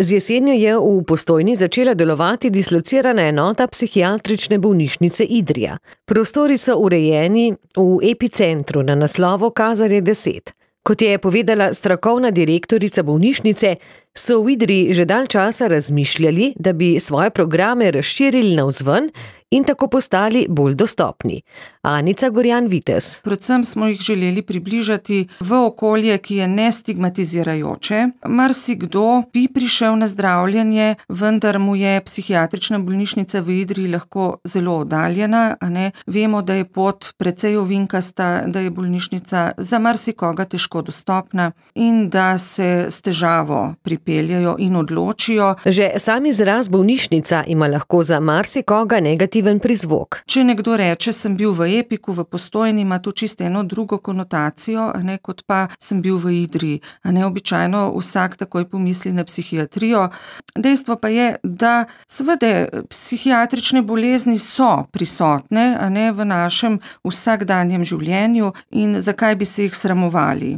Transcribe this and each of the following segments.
Z jesenjo je v Postojni začela delovati dislocirana enota psihiatrične bolnišnice Idrija. Prostori so urejeni v epicentru na naslovu Kazarje 10. Kot je povedala strokovna direktorica bolnišnice, so v Idriji že dalj časa razmišljali, da bi svoje programe razširili navzven in tako postali bolj dostopni. Anica Gorjan-Vitez. Predvsem smo jih želeli približati v okolje, ki je nestigmatizirajoče. Marsikdo bi prišel na zdravljenje, vendar mu je psihiatrična bolnišnica v Idriji lahko zelo oddaljena. Vemo, da je pot precej ovinkasta, da je bolnišnica za marsikoga težko dostopna in da se s težavo pripeljajo in odločijo. Že sam izraz bolnišnica ima lahko za marsikoga negativen prizvok. Če nekdo reče, sem bil v Epiku, v Postojni, ima to čisto eno drugo konotacijo, kot pa sem bil v Idriji. Običajno vsak takoj pomisli na psihiatrijo. Dejstvo pa je, da seveda psihiatrične bolezni so prisotne v našem vsakdanjem življenju in zakaj bi se jih sramovali.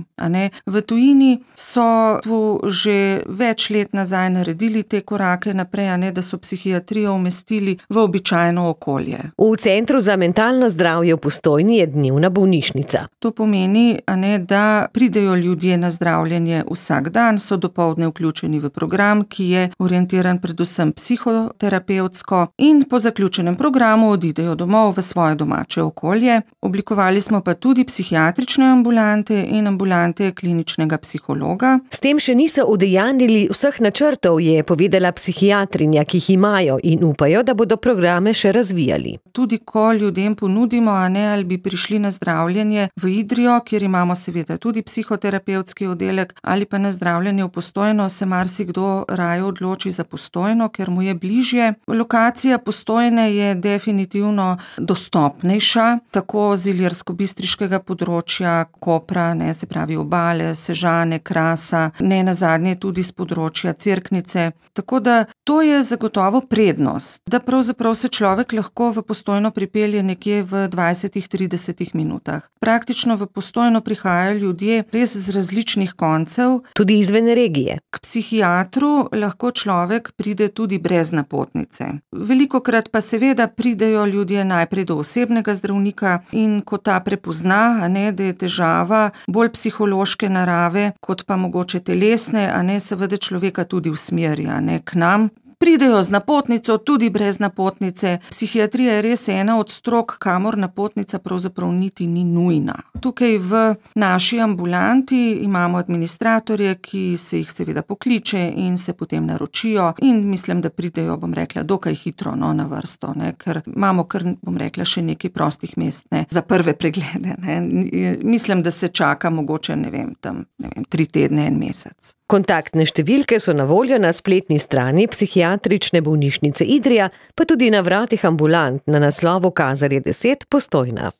V tujini so tu že več let nazaj naredili te korake naprej, da so psihiatrijo umestili v običajno okolje. V Centru za mentalno zdravje v Postojni je dnevna bolnišnica. To pomeni, da pridejo ljudje na zdravljenje vsak dan, so dopoldne vključeni v program, ki je orientiran predvsem psihoterapevtsko in po zaključenem programu odidejo domov v svoje domače okolje. Oblikovali smo pa tudi psihiatrične ambulante in ambulante kliničnega psihologa. S tem še niso udejanjili vseh načrtov, je povedala psihiatrinja, ki jih imajo in upajo, da bodo programe še razvijali. Tudi ko ljudem ponudimo, ali bi prišli na zdravljenje v Idrijo, kjer imamo seveda tudi psihoterapevtski oddelek, ali pa na zdravljenje v Postojno, se marsikdo raje odloči za Postojno, ker mu je bližje. Lokacija Postojne je definitivno dostopnejša, tako z ilirsko-bistriškega področja, Kopra, se pravi Obale, Sežane, Krasa, nenazadnje tudi z področja Cerknice. Tako da to je zagotovo prednost, da pravzaprav se človek lahko v Postojno pripelje nekje v 20-30 minutah. Praktično v Postojno prihajajo ljudje res z različnih koncev. Tudi izven regije. K psihiatru lahko človek pride tudi brez napotnice. Velikokrat pa seveda pridejo ljudje najprej do osebnega zdravnika in ko ta prepozna, da je težava bolj psihološke narave, kot pa mogoče telesne, seveda človeka tudi usmeri, k nam. Pridejo z napotnico, tudi brez napotnice. Psihiatrija je res ena od strok, kamor napotnica pravzaprav niti ni nujna. Tukaj v naši ambulanti imamo administratorje, ki se jih seveda pokliče in se potem naročijo in mislim, da pridejo, dokaj hitro na vrsto, ker imamo še nekaj prostih mest, za prve preglede. Mislim, da se čaka mogoče, 3 tedne, 1 mesec. Kontaktne številke so na voljo na spletni strani Psihiatrične bolnišnice Idrija, pa tudi na vratih ambulant na naslovu Kazarje 10 Postojna.